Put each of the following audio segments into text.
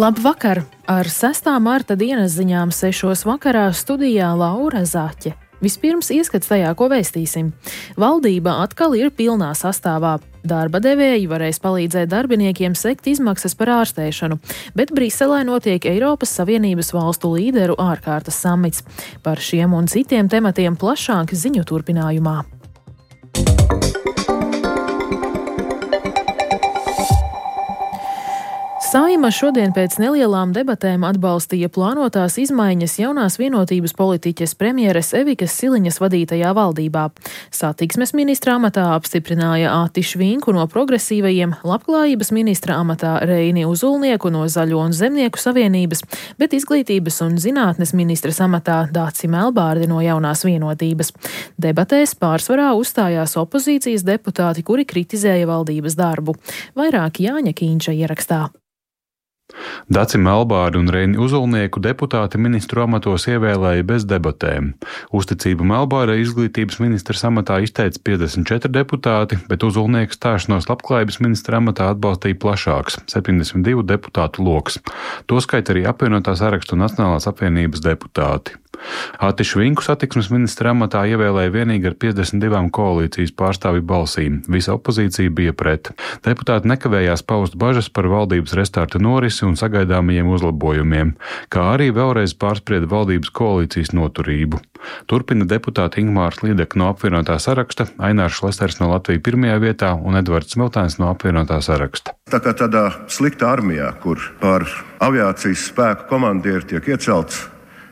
Labvakar! Ar 6. marta dienas ziņām 6. vakarā studijā Laura Zaķe. Vispirms ieskats tajā, ko vēstīsim. Valdība atkal ir pilnā sastāvā. Darba devēji varēs palīdzēt darbiniekiem sekt izmaksas par ārstēšanu, bet Briselē notiek Eiropas Savienības valstu līderu ārkārtas samits. Par šiem un citiem tematiem plašāk ziņu turpinājumā. Saeima šodien pēc nelielām debatēm atbalstīja plānotās izmaiņas jaunās vienotības politiķes premjeres Evikas Siliņas vadītajā valdībā. Satiksmes ministra amatā apstiprināja Ati Švinku no Progresīvajiem, labklājības ministra amatā Reini Uzulnieku no Zaļo un Zemnieku savienības, bet izglītības un zinātnes ministras amatā Dāci Melbārdi no Jaunās vienotības. Debatēs pārsvarā uzstājās opozīcijas deputāti, kuri kritizēja valdības darbu. Vairāk Jāņa Kīņša ierakstā. Daci Melbārdi un Reini Uzulnieku deputāti ministru amatos ievēlēja bez debatēm. Uzticību Melbārdai izglītības ministras amatā izteica 54 deputāti, bet Uzulnieku stāšanos labklājības ministra amatā atbalstīja plašāks - 72 deputātu loks. Toskait arī apvienotā sarakstu Nacionālās apvienības deputāti. Ati Švinku satiksmes ministra amatā ievēlēja vienīgi ar 52 koalīcijas pārstāvju balsīm. Visa opozīcija bija pret. Deputāti nekavējās paust bažas par valdības restarta norisi un sagaidāmajiem uzlabojumiem, kā arī vēlreiz pārsprieda valdības koalīcijas noturību. Turpina deputāti Ingmārs Līdeka no apvienotā saraksta, Ainārs Šlesers no Latvijas pirmajā vietā un Edvards Smiltēns no apvienotā saraksta. Tā kā tādā sliktā armijā, kur par aviācijas spēku komandieru tiek iecelts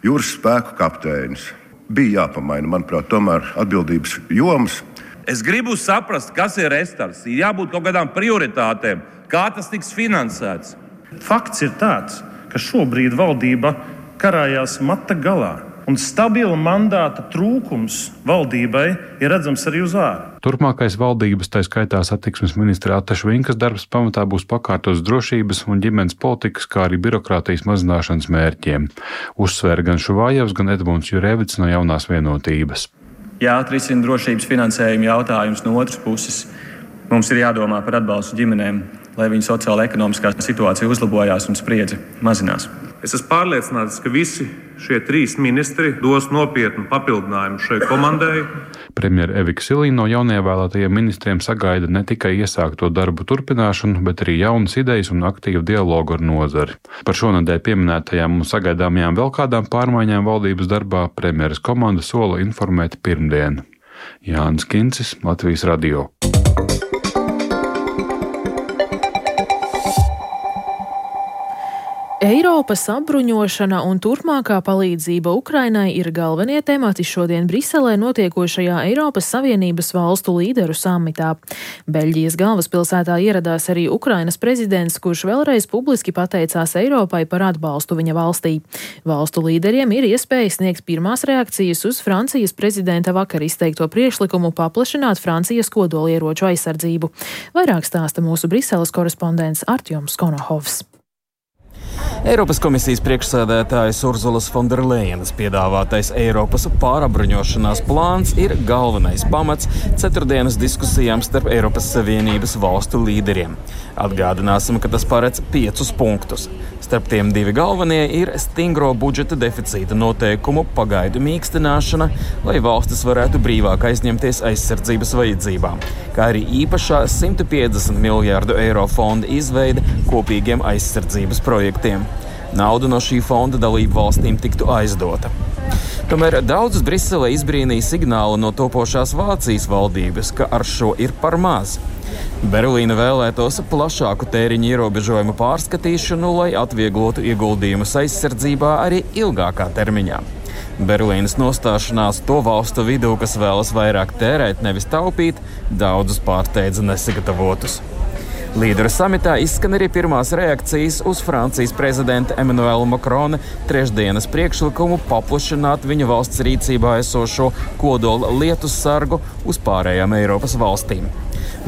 jūras spēku kapteinis, bija jāpamaina, manuprāt, tomēr atbildības jomas. Es gribu saprast, kas ir restarts. Ir jābūt kaut kādām prioritātēm, kā tas tiks finansēts. Fakts ir tāds, ka šobrīd valdība karājās mata galā, un stabila mandāta trūkums valdībai ir redzams arī uz ārā. Turpmākais valdības, tā skaitā satiksmes ministra Ata Švinkas darbs pamatā būs pakārtos drošības un ģimenes politikas, kā arī birokrātijas mazināšanas mērķiem. Uzsvēra gan Šuvājevs, gan Edmunds Jurevits no Jaunās vienotības. Jāatrisina drošības finansējuma jautājums no otras puses. Mums ir jādomā par atbalstu ģimenēm, lai viņu sociāla-ekonomiskā situācija uzlabojās un spriedze mazinās. Es esmu pārliecināts, ka visi šie 3 ministri dos nopietnu papildinājumu šai komandai. Premjera Evika Siliņa no jaunievēlētajiem ministriem sagaida ne tikai iesākto darbu turpināšanu, bet arī jaunas idejas un aktīvu dialogu ar nozari. Par šonedēļ pieminētajām un sagaidāmajām vēl kādām pārmaiņām valdības darbā premjeras komanda sola informēt pirmdien. Jānis Kincis, Latvijas radio. Eiropas apbruņošana un turpmākā palīdzība Ukrainai ir galvenie temati šodien Briselē notiekošajā Eiropas Savienības valstu līderu samitā. Beļģijas galvaspilsētā ieradās arī Ukrainas prezidents, kurš vēlreiz publiski pateicās Eiropai par atbalstu viņa valstī. Valstu līderiem ir iespēja sniegt pirmās reakcijas uz Francijas prezidenta vakar izteikto priekšlikumu paplašināt Francijas kodolieroču aizsardzību. Vairāk stāsta mūsu Briseles korespondents Artjoms Konohovs. Eiropas komisijas priekšsēdētājas Urzulas Fonderlejenas piedāvātais Eiropas pārapbruņošanās plāns ir galvenais pamats ceturtdienas diskusijām starp Eiropas Savienības valstu līderiem. Atgādināsim, ka tas paredz 5 punktus. Starp tiem 2 galvenie ir stingro budžeta deficīta noteikumu pagaidu mīkstināšana, lai valstis varētu brīvāk aizņemties aizsardzības vajadzībām, kā arī īpašā 150 miljārdu eiro fonda izveide kopīgiem aizsardzības projektiem. Nauda no šī fonda dalību valstīm tiktu aizdota. Tomēr daudzus Briselē izbrīnīja signāli no topošās Vācijas valdības, ka ar šo ir par maz. Berlīna vēlētos plašāku tēriņu ierobežojumu pārskatīšanu, lai atvieglotu ieguldījumus aizsardzībā arī ilgākā termiņā. Berlīnas nostāšanās to valstu vidū, kas vēlas vairāk tērēt, nevis taupīt, daudzus pārsteidza nesagatavotus. Līderu samitā izskan arī pirmās reakcijas uz Francijas prezidenta Emmanuela Macrona trešdienas priekšlikumu paplašināt viņa valsts rīcībā esošo kodola lietus sargu uz pārējām Eiropas valstīm.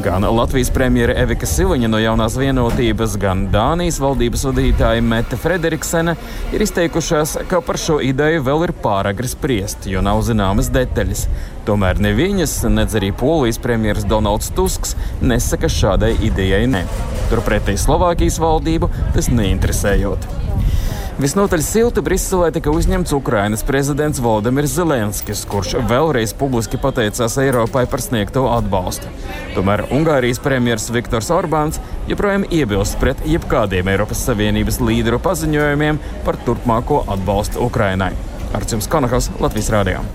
Gan Latvijas premjere Evika Siliņa no Jaunās vienotības, gan Dānijas valdības vadītāja Mette Frederiksene ir izteikušās, ka par šo ideju vēl ir pāragri spriest, jo nav zināmas detaļas. Tomēr ne viņas, nedz arī Polijas premjeras Donalds Tusks nesaka šādai idejai ne. Turpretī Slovākijas valdību tas neinteresējot. Visnotaļ silti Briselē tika uzņemts Ukrainas prezidents Volodimirs Zelenskis, kurš vēlreiz publiski pateicās Eiropai par sniegto atbalstu. Tomēr Ungārijas premjers Viktors Orbāns joprojām iebilst pret jebkādiem Eiropas Savienības līderu paziņojumiem par turpmāko atbalstu Ukrainai. Arčuns Konakovs, Latvijas radio.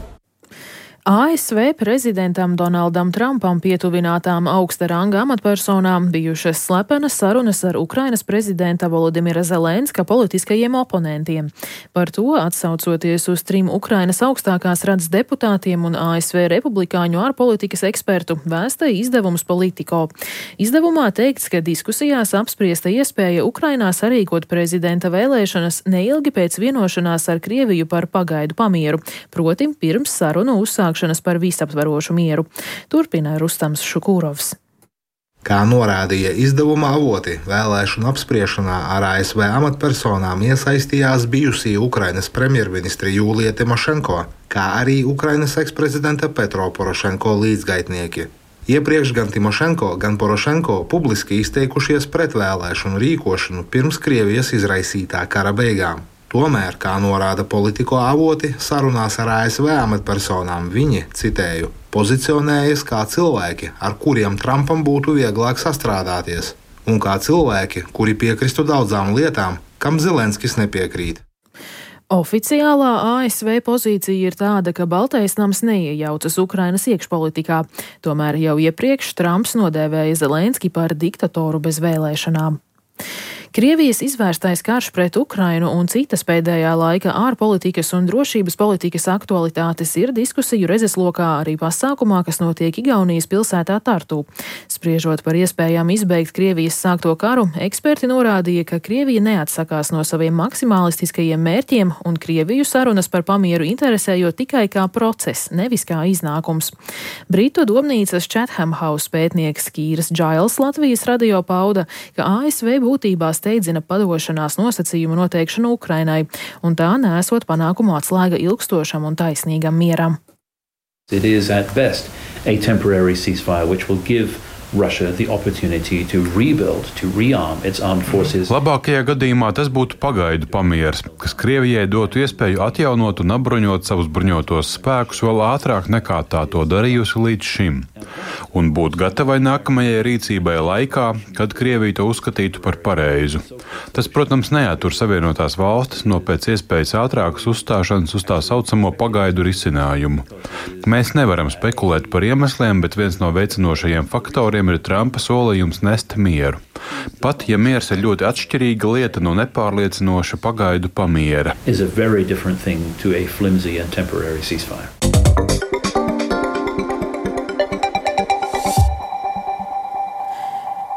ASV prezidentam Donaldam Trumpam pietuvinātām augsta ranga amatpersonām bijušas slepenas sarunas ar Ukrainas prezidenta Volodimira Zelenska politiskajiem oponentiem. Par to, atsaucoties uz 3 Ukrainas augstākās radas deputātiem un ASV republikāņu ārpolitikas ekspertu, vēsta izdevums Politico. Izdevumā teikts, ka diskusijās apspriesta iespēja Ukrainā sarīkot prezidenta vēlēšanas neilgi pēc vienošanās ar Krieviju par pagaidu pamieru, proti pirms sarunu uzsākšanas par visaptverošu mieru. Turpina Rustams Šukūrovs. Kā norādīja izdevuma avoti, vēlēšanu apspriešanā ar ASV amatpersonām iesaistījās bijusī Ukrainas premjerministre Jūlija Timošenko, kā arī Ukrainas eksprezidenta Petro Porošenko līdzgaitnieki. Iepriekš gan Timošenko, gan Porošenko publiski izteikušies pret vēlēšanu rīkošanu pirms Krievijas izraisītā kara beigām. Tomēr, kā norāda Politico avoti, sarunās ar ASV amatpersonām viņi, citēju, pozicionējas kā cilvēki, ar kuriem Trumpam būtu vieglāk sastrādāties, un kā cilvēki, kuri piekristu daudzām lietām, kam Zelenskis nepiekrīt. Oficiālā ASV pozīcija ir tāda, ka Baltais nams neiejaucas Ukrainas iekšpolitikā. Tomēr jau iepriekš Trumps nodēvēja Zelenski par diktatoru bez vēlēšanām. Krievijas izvērstais karš pret Ukrainu un citas pēdējā laika ārpolitikas un drošības politikas aktualitātes ir diskusiju redzeslokā arī pasākumā, kas notiek Igaunijas pilsētā Tartu. Spriežot par iespējām izbeigt Krievijas sākto karu, eksperti norādīja, ka Krievija neatsakās no saviem maksimalistiskajiem mērķiem un Krieviju sarunas par pamieru interesējot tikai kā process, nevis kā iznākums. Britu domnīcas Chatham House pētnieks Kīras Džails Latvijas radio pauda, ka ASV būtībā steidzina padošanās nosacījumu noteikšanu Ukrainai, un tā nesot panākumu atslēga ilgstošam un taisnīgam mieram. It is at best a temporary ceasefire which will give Russia the opportunity to rebuild, to rearm its armed forces. Labākajā gadījumā tas būtu pagaidu pamieris, kas Krievijai dotu iespēju atjaunot un apbruņot savus bruņotos spēkus vēl ātrāk nekā tā to darījusi līdz šim, un būt gatavai nākamajai rīcībai laikā, kad Krievija to uzskatītu par pareizu. Tas, protams, neattur Savienotās valstis no pēc iespējas ātrākas uzstāšanas uz tā saucamo pagaidu risinājumu. Mēs nevaram spekulēt par iemesliem, bet viens no veicinošajiem faktoriem ir Trumpa solījums nest mieru. Pat, ja miers ir ļoti atšķirīga lieta no nepārliecinoša pagaidu pamiera.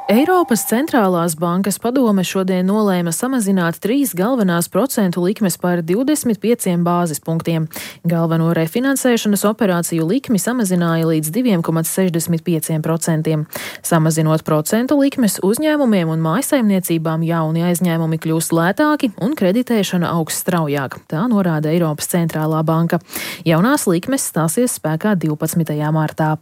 Eiropas centrālās bankas padome šodien nolēma samazināt 3 galvenās procentu likmes par 25 bāzes punktiem. Galveno refinansēšanas operāciju likmi samazināja līdz 2,65%. Samazinot procentu likmes, uzņēmumiem un mājsaimniecībām jauni aizņēmumi kļūs lētāki un kreditēšana augs straujāk. Tā norāda Eiropas centrālā banka. Jaunās likmes stāsies spēkā 12. martā.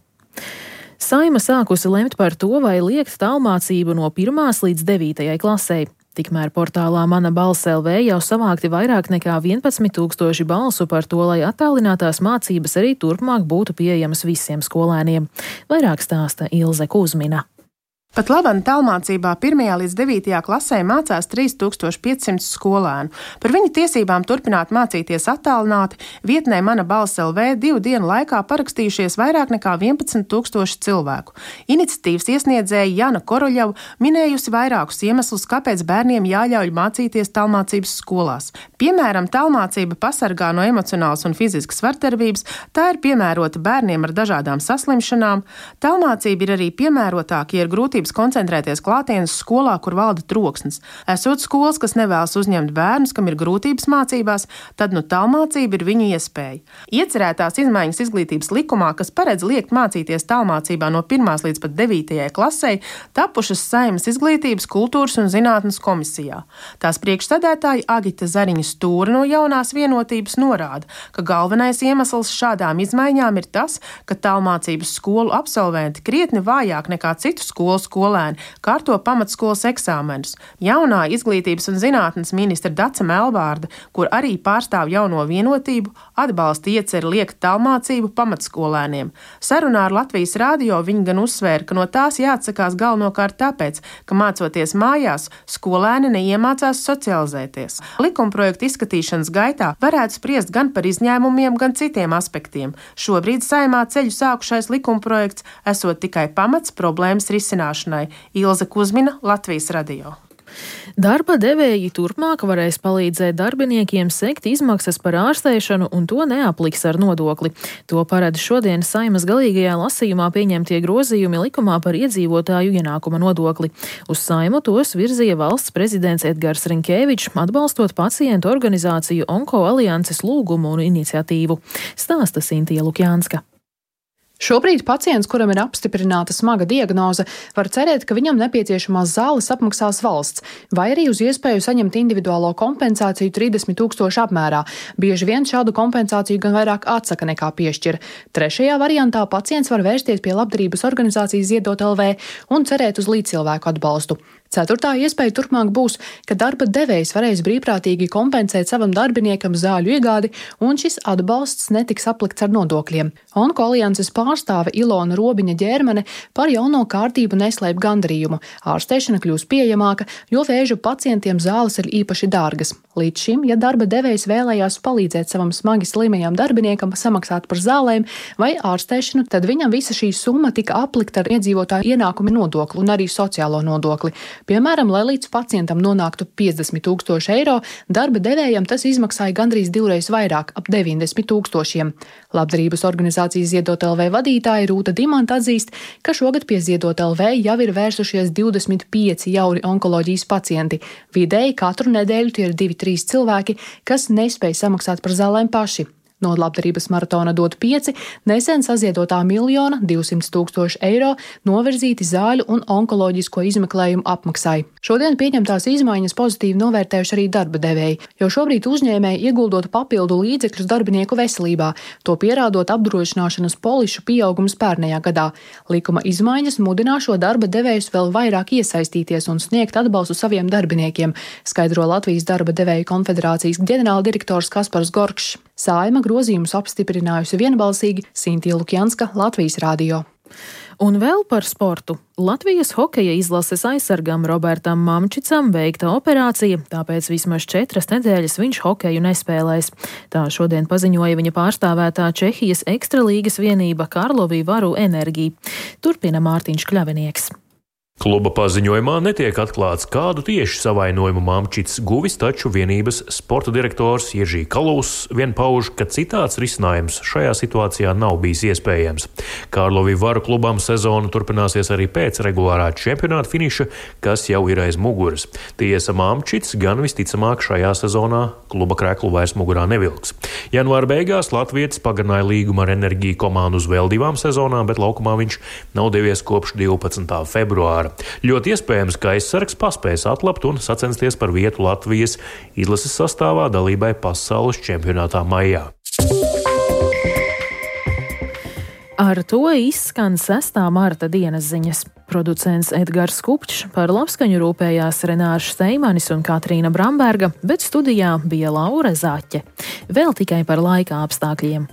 Saeima sākusi lemt par to, vai liekt tālmācību no 1. līdz 9. klasei. Tikmēr portālā Mana balss LV jau savākti vairāk nekā 11,000 balsu par to, lai attālinātās mācības arī turpmāk būtu pieejamas visiem skolēniem. Vairāk stāsta Ilze Kuzmina. Pat labam tālmācībā 1. līdz 9. klasē mācās 3500 skolēnu. Par viņu tiesībām turpināt mācīties attālināti vietnē Mana balss LV 2 dienu laikā parakstījušies vairāk nekā 11,000 cilvēku. Iniciatīvas iesniedzēja Jana Koroļeva minējusi vairākus iemeslus, kāpēc bērniem jāļauj mācīties tālmācības skolās. Piemēram, tālmācība pasargā no emocionālas un fiziskas vardarbības, tā ir piemērota bērniem ar dažādām saslimšanām. Tālmācība ir arī piemērotāka, ja ir grūtības grūtības koncentrēties klātienes skolā, kur valda troksnis. Esot skolas, kas nevēlas uzņemt bērnus, kam ir grūtības mācībās, tad tālmācība ir viņu iespēja. Iecerētās izmaiņas izglītības likumā, kas paredz liekt mācīties tālmācībā no 1. līdz pat 9. klasei, tapušas Saeimas izglītības, kultūras un zinātnes komisijā. Tās priekšsēdētāja Agita Zariņa Stūra no Jaunās vienotības norāda, ka galvenais iemesls šādām izmaiņām ir tas, ka tālmācības skolu absolventi krietni vājāk nekā citu skolu skolēni kārto pamatskolas eksāmenus. Jaunā izglītības un zinātnes ministra Dace Melbārde, kur arī pārstāv Jauno vienotību, atbalsta ieceri liekt tālmācību pamatskolēniem. Sarunā ar Latvijas radio viņa gan uzsvēra, ka no tās jāatsakās galvenokārt tāpēc, ka mācoties mājās, skolēni neiemācās socializēties. Likumprojekta izskatīšanas gaitā varētu spriest gan par izņēmumiem, gan citiem aspektiem. Šobrīd Saeimā ceļu sākušais likumprojekts esot tikai pamats problēmas risināšanai. Ilze Kuzmina, Latvijas radio. Darba devēji turpmāk varēs palīdzēt darbiniekiem sekt izmaksas par ārstēšanu un to neapliks ar nodokli. To paredz šodien Saeimas galīgajā lasījumā pieņemtie grozījumi likumā par iedzīvotāju ienākuma nodokli. Uz Saimu tos virzīja valsts prezidents Edgars Rinkēvičs, atbalstot pacientu organizāciju Onko alianses lūgumu un iniciatīvu. Stāsta Sintija Lukjānska. Šobrīd pacients, kuram ir apstiprināta smaga diagnoze, var cerēt, ka viņam nepieciešamās zāles apmaksās valsts, vai arī uz iespēju saņemt individuālo kompensāciju 30 000 apmērā. Bieži vien šādu kompensāciju gan vairāk atsaka nekā piešķir. Trešajā variantā pacients var vērsties pie labdarības organizācijas Ziedot LV un cerēt uz līdzcilvēku atbalstu. Ceturtā iespēja turpmāk būs, ka darba devējs varēs brīvprātīgi kompensēt savam darbiniekam zāļu iegādi, un šis atbalsts netiks aplikts ar nodokļiem. Onko alianses pārstāve Ilona Robiņa Ģērmane par jauno kārtību neslēp gandarījumu. Ārstēšana kļūs pieejamāka, jo vēža pacientiem zāles ir īpaši dārgas. Līdz šim, ja darba devējs vēlējās palīdzēt savam smagi slimajam darbiniekam samaksāt par zālēm vai ārstēšanu, tad viņam visa šī summa tika aplikta ar iedzīvotāju ienākuma nodokli un arī sociālo nodokli. Piemēram, lai līdz pacientam nonāktu 50 000 eiro, darba devējam tas izmaksāja gandrīz divreiz vairāk, ap 90 000. Labdarības organizācijas Ziedot LV vadītāja Rūta Dimanta atzīst, ka šogad pie Ziedot LV jau ir vērsušies 25 jauni onkoloģijas pacienti. Vidēji katru nedēļu tie ir 2-3 cilvēki, kas nespēj samaksāt par zālēm paši. No labdarības maratona Dot 5 nesen saziedotā 1 200 000 eiro novirzīti zāļu un onkoloģisko izmeklējumu apmaksai. Šodien pieņemtās izmaiņas pozitīvi novērtējuši arī darba devēji, jo šobrīd uzņēmēji ieguldot papildu līdzekļus darbinieku veselībā, to pierādot apdrošināšanas polišu pieaugums pērnējā gadā. Likuma izmaiņas mudināšo darba devējus vēl vairāk iesaistīties un sniegt atbalstu saviem darbiniekiem, skaidro Latvijas darba devēju konfederācijas ģenerāldirektors Kaspars Gorkšs. Saeima grozījumus apstiprinājusi vienbalsīgi Sintija Lukjānska, Latvijas radio. Un vēl par sportu. Latvijas hokeja izlases aizsargam Robertam Mamčicam veikta operācija, tāpēc vismaz 4 nedēļas viņš hokeju nespēlēs. Tā šodien paziņoja viņa pārstāvētā Čehijas ekstralīgas vienība Karlovy Varu Energy. Turpina Mārtiņš Kļavinieks. Kluba paziņojumā netiek atklāts, kādu tieši savainojumu Mamčits guvis, taču vienības sporta direktors Jeržī Kalūs vien pauž, ka citāds risinājums šajā situācijā nav bijis iespējams. Karlovy Varu klubam sezona turpināsies arī pēc regulārā čempionāta finiša, kas jau ir aiz muguras. Tiesa, Mamčits gan visticamāk šajā sezonā kluba kreklu vairs mugurā nevilks. Janvāra beigās latvietis pagarināja līgumu ar Enerģiju komandu uz vēl 2 sezonām, bet laukumā viņš nav devies kopš 12. februāra. Ļoti iespējams, ka aizsargs paspēs atlapt un sacensties par vietu Latvijas izlases sastāvā dalībai pasaules čempionātā maijā. Ar to izskan 6. marta dienas ziņas. Producents Edgars Kupčs, par labskaņu rūpējās Renārs Steimanis un Katrīna Bramberga, bet studijā bija Laura Zaķe. Vēl tikai par laika apstākļiem.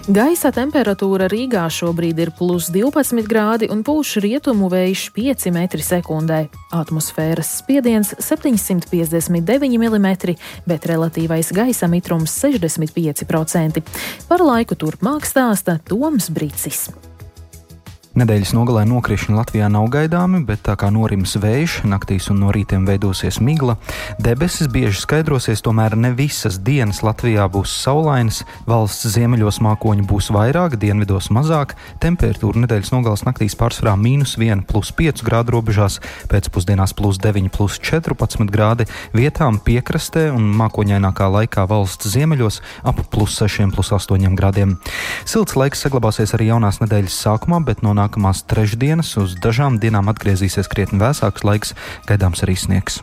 Gaisa temperatūra Rīgā šobrīd ir +12 grādi un pūš rietumu vējš 5 m/sekundē. Atmosfēras spiediens 759 mm, bet relatīvais gaisa mitrums 65%. Par laiku turpmāk stāsta Toms Bricis. Nedēļas nogalē nokrišņi Latvijā nav gaidāmi, bet tā kā norims vējš, naktīs un no rītiem veidosies migla. Debesis bieži skaidrosies, tomēr ne visas dienas Latvijā būs saulainas. Valsts ziemeļos mākoņu būs vairāk, dienvidos mazāk. Temperatūra nedēļas nogales naktīs pārsvarā -1, +5 grādu robežās, pēcpusdienās +9, +14 grādi. Vietām piekrastē un mākoņainākā laikā valsts ziemeļos ap +6, +8 grādiem. Silts laiks saglabāsies arī jaunās nedēļas sākumā, bet no nākamās trešdienas uz dažām dienām atgriezīsies krietni vēsāks laiks, gaidāms arī sniegs.